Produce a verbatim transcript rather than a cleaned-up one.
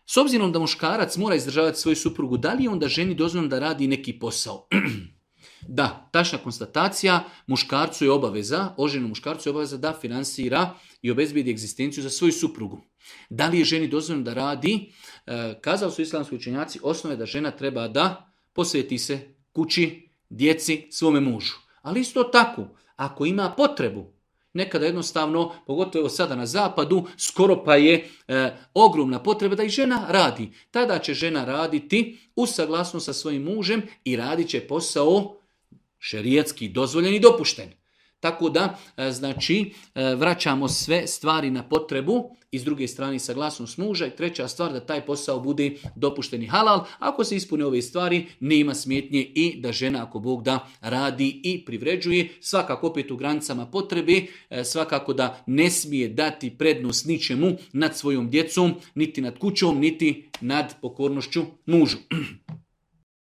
S obzirom da muškarac mora izdržavati svoju suprugu, da li je onda ženi dozvoljeno da radi neki posao? Da, tačna konstatacija, muškarcu je obaveza, oženjenom muškarcu je obaveza da finansira i obezbijedi egzistenciju za svoju suprugu. Da li je ženi dozvoljeno da radi? E, kazali su islamski učenjaci, osnove da žena treba da posveti se kući, djeci, svome mužu. Ali isto tako, ako ima potrebu, nekada jednostavno, pogotovo sada na zapadu, skoro pa je e, ogromna potreba da i žena radi. Tada će žena raditi u saglasnost sa svojim mužem i radit će posao šerijatski dozvoljen i dopušten. Tako da, e, znači, e, vraćamo sve stvari na potrebu i s druge strane saglasnost muža i treća stvar da taj posao bude dopušten i halal. Ako se ispune ove stvari, nema smetnje i da žena, ako Bog da, radi i privređuje. Svakako opet u granicama potrebe, e, svakako da ne smije dati prednost ničemu nad svojom djecom, niti nad kućom, niti nad pokornošću mužu.